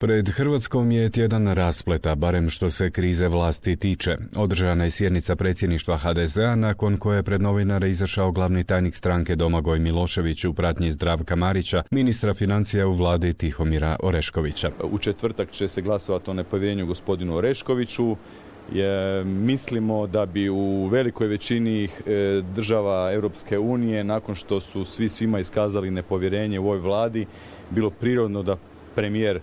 Pred Hrvatskom je tjedan raspleta, barem što se krize vlasti tiče. Održana je sjednica predsjedništva HDZ-a, nakon koje je pred novinare izašao glavni tajnik stranke Domagoj Milošević u pratnji Zdravka Marića, ministra financija u vladi Tihomira Oreškovića. U četvrtak će se glasovati o nepovjerenju gospodinu Oreškoviću. Mislimo da bi u velikoj većini država Europske unije, nakon što su svima iskazali nepovjerenje u ovoj vladi, bilo prirodno da premijer,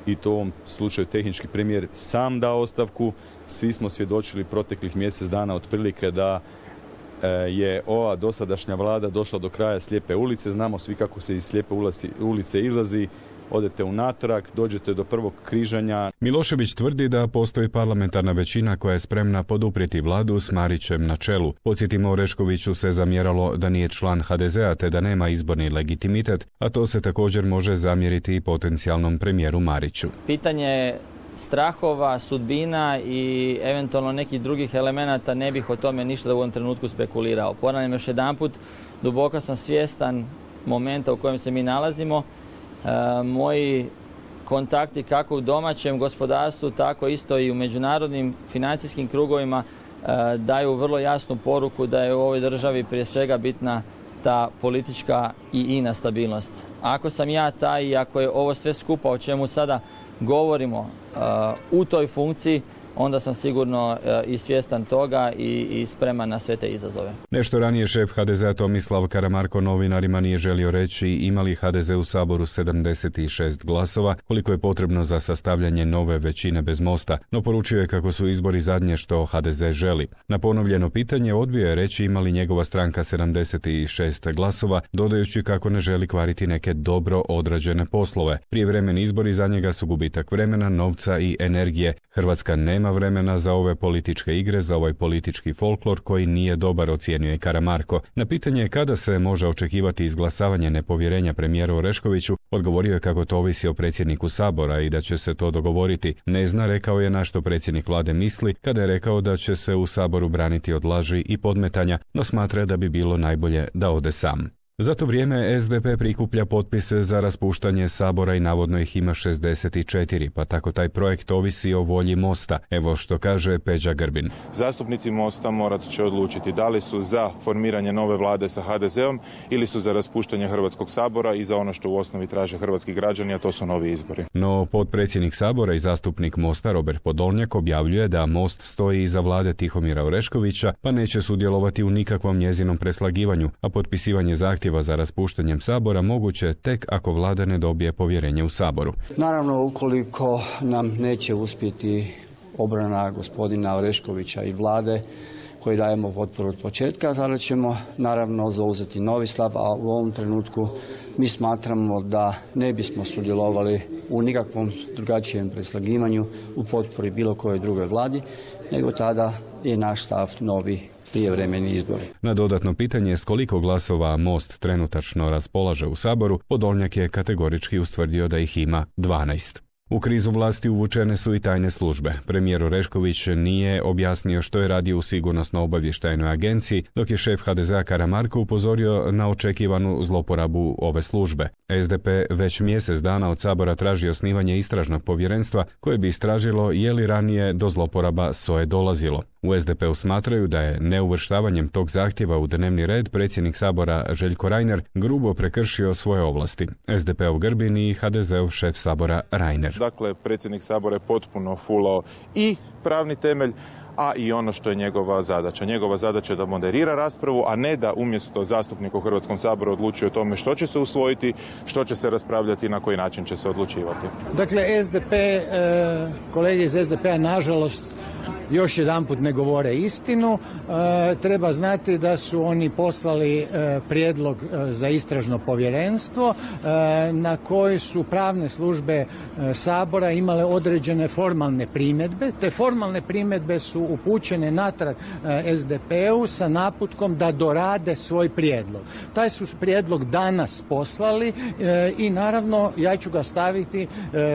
i to u ovom slučaju tehnički premijer, sam da ostavku. Svi smo svjedočili proteklih mjesec dana otprilike da je ova dosadašnja vlada došla do kraja slijepe ulice. Znamo svi kako se iz slijepe ulice izlazi. Odete unatrag, dođete do prvog križanja. Milošević tvrdi da postoji parlamentarna većina koja je spremna poduprijeti vladu s Marićem na čelu. Podsjetimo, Oreškoviću se zamjeralo da nije član HDZ-a te da nema izborni legitimitet, a to se također može zamjeriti i potencijalnom premijeru Mariću. Pitanje strahova, sudbina i eventualno nekih drugih elemenata, ne bih o tome ništa u ovom trenutku spekulirao. Ponavljam još jedanput, duboko sam svjestan momenta u kojem se mi nalazimo. Moji kontakti kako u domaćem gospodarstvu, tako isto i u međunarodnim financijskim krugovima daju vrlo jasnu poruku da je u ovoj državi prije svega bitna ta politička i ina stabilnost. Ako sam ja taj i ako je ovo sve skupa o čemu sada govorimo u toj funkciji, onda sam sigurno i svjestan toga i spreman na sve te izazove. Nešto ranije šef HDZ-a Tomislav Karamarko novinarima nije želio reći ima li HDZ u Saboru 76 glasova, koliko je potrebno za sastavljanje nove većine bez Mosta, no poručio je kako su izbori zadnje što HDZ želi. Na ponovljeno pitanje odbio je reći ima li njegova stranka 76 glasova, dodajući kako ne želi kvariti neke dobro odrađene poslove. Prijevremeni izbori za njega su gubitak vremena, novca i energije. Hrvatska nema vremena za ove političke igre, za ovaj politički folklor koji nije dobar, ocijenio je Karamarko. Na pitanje kada se može očekivati izglasavanje nepovjerenja premijeru Oreškoviću, odgovorio je kako to ovisi o predsjedniku Sabora i da će se to dogovoriti. Ne zna, rekao je, na što predsjednik vlade misli kada je rekao da će se u Saboru braniti od laži i podmetanja, no smatra da bi bilo najbolje da ode sam. Za to vrijeme SDP prikuplja potpise za raspuštanje Sabora i navodno ih ima 64, pa tako taj projekt ovisi o volji Mosta. Evo što kaže Peđa Grbin. Zastupnici Mosta morat će odlučiti da li su za formiranje nove vlade sa HDZ-om ili su za raspuštanje Hrvatskog sabora i za ono što u osnovi traže hrvatski građani, a to su novi izbori. No potpredsjednik Sabora i zastupnik Mosta Robert Podolnjak objavljuje da Most stoji iza vlade Tihomira Oreškovića, pa neće sudjelovati u nikakvom njezinom preslagivanju, a potpisivanje zahtjeva za raspuštanjem Sabora moguće tek ako vlada ne dobije povjerenje u Saboru. Naravno, ukoliko nam neće uspjeti obrana gospodina Oreškovića i vlade koji dajemo potporu od početka, tada ćemo naravno zauzeti novi stav, a u ovom trenutku mi smatramo da ne bismo sudjelovali u nikakvom drugačijem preslagivanju u potpori bilo kojoj drugoj vladi, nego tada je naš stav novi prijevremeni izbori. Na dodatno pitanje s koliko glasova Most trenutačno raspolaže u Saboru, Podolnjak je kategorički ustvrdio da ih ima 12. U krizu vlasti uvučene su i tajne službe. Premijer Orešković nije objasnio što je radio u sigurnosno-obavještajnoj agenciji, dok je šef HDZ-a Karamarko upozorio na očekivanu zloporabu ove službe. SDP već mjesec dana od Sabora traži osnivanje istražnog povjerenstva koje bi istražilo je li ranije do zloporaba SOA-e dolazilo. U SDP-u smatraju da je neuvrštavanjem tog zahtjeva u dnevni red predsjednik Sabora Željko Reiner grubo prekršio svoje ovlasti. SDP-ov Grbin i HDZ-ov šef Sabora Reiner. Dakle, predsjednik Sabora je potpuno fulao i pravni temelj, a i ono što je njegova zadaća. Njegova zadaća je da moderira raspravu, a ne da umjesto zastupnika u Hrvatskom saboru odlučuje o tome što će se usvojiti, što će se raspravljati i na koji način će se odlučivati. Dakle, kolege iz SDP-a nažalost još jedanput ne govore istinu. Treba znati da su oni poslali prijedlog za istražno povjerenstvo na koji su pravne službe Sabora imale određene formalne primjedbe. Te formalne primjedbe su upućene natrag SDP-u sa naputkom da dorade svoj prijedlog. Taj su prijedlog danas poslali i naravno ja ću ga staviti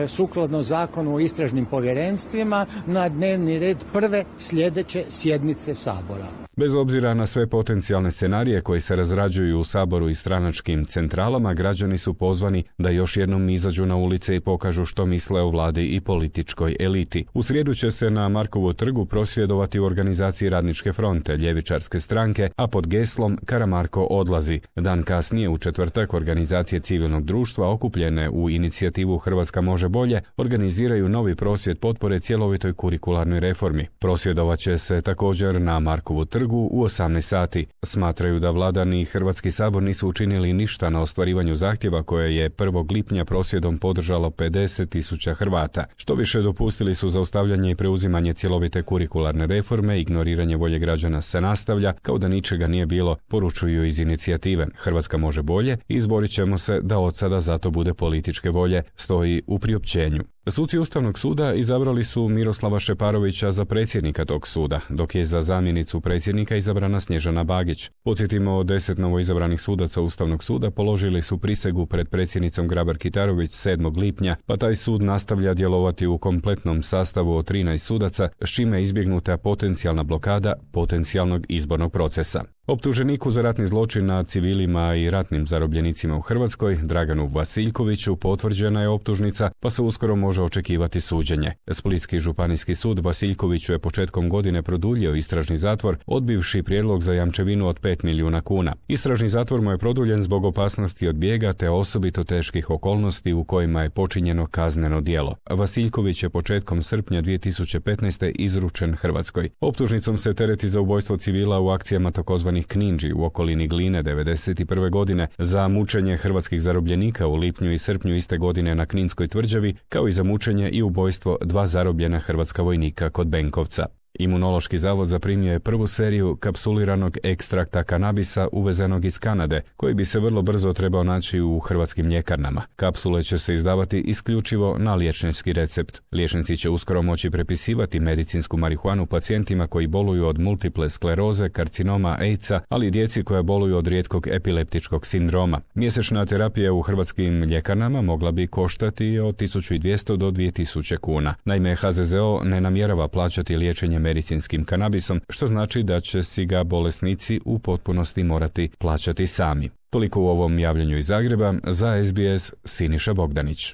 sukladno Zakonu o istražnim povjerenstvima na dnevni red prve sljedeće sjednice Sabora. Bez obzira na sve potencijalne scenarije koji se razrađuju u Saboru i stranačkim centralama, građani su pozvani da još jednom izađu na ulice i pokažu što misle o vladi i političkoj eliti. U srijedu će se na Markovu trgu prosvjedovati u organizaciji Radničke fronte, ljevičarske stranke, a pod geslom Karamarko odlazi. Dan kasnije, u četvrtak, organizacije civilnog društva okupljene u inicijativu Hrvatska može bolje organiziraju novi prosvjed potpore cjelovitoj kurikularnoj reformi. Prosvjedovat će se također na Markovu trgu u 18 sati. Smatraju da vlada ni Hrvatski sabor nisu učinili ništa na ostvarivanju zahtjeva koje je 1. lipnja prosvjedom podržalo 50.000 Hrvata. Što više, dopustili su zaustavljanje i preuzimanje cjelovite kurikularne reforme, ignoriranje volje građana se nastavlja kao da ničega nije bilo, poručuju iz inicijative Hrvatska može bolje i izborit ćemo se da od sada zato bude političke volje, stoji u priopćenju. Suci Ustavnog suda izabrali su Miroslava Šeparovića za predsjednika tog suda, dok je za zamjenicu predsjednika izabrana Snježana Bagić. Podsjetimo, 10 novoizabranih sudaca Ustavnog suda položili su prisegu pred predsjednicom Grabar-Kitarović 7. lipnja, pa taj sud nastavlja djelovati u kompletnom sastavu od 13 sudaca, s čime je izbjegnuta potencijalna blokada potencijalnog izbornog procesa. Optuženiku za ratni zločin nad civilima i ratnim zarobljenicima u Hrvatskoj, Draganu Vasiljkoviću, potvrđena je optužnica, pa se uskoro može očekivati suđenje. Splitski županijski sud Vasiljkoviću je početkom godine produljio istražni zatvor, odbivši prijedlog za jamčevinu od 5 milijuna kuna. Istražni zatvor mu je produljen zbog opasnosti od bijega te osobito teških okolnosti u kojima je počinjeno kazneno djelo. Vasiljković je početkom srpnja 2015. izručen Hrvatskoj. Optužnicom se tereti za ubojstvo civila u akcijama takozvanih Kninđi u okolini Gline 1991. godine, za mučenje hrvatskih zarobljenika u lipnju i srpnju iste godine na Kninskoj tvrđavi, kao i za mučenje i ubojstvo 2 zarobljena hrvatska vojnika kod Benkovca. Imunološki zavod zaprimio je prvu seriju kapsuliranog ekstrakta kanabisa uvezenog iz Kanade, koji bi se vrlo brzo trebao naći u hrvatskim ljekarnama. Kapsule će se izdavati isključivo na liječnički recept. Liječnici će uskoro moći prepisivati medicinsku marihuanu pacijentima koji boluju od multiple skleroze, karcinoma, AIDS-a, ali i djeci koja boluju od rijetkog epileptičkog sindroma. Mjesečna terapija u hrvatskim ljekarnama mogla bi koštati od 1200 do 2000 kuna. Naime, HZZO ne namjerava plaćati liječenje medicinskim kanabisom, što znači da će si ga bolesnici u potpunosti morati plaćati sami. Toliko u ovom javljanju iz Zagreba, za SBS Siniša Bogdanić.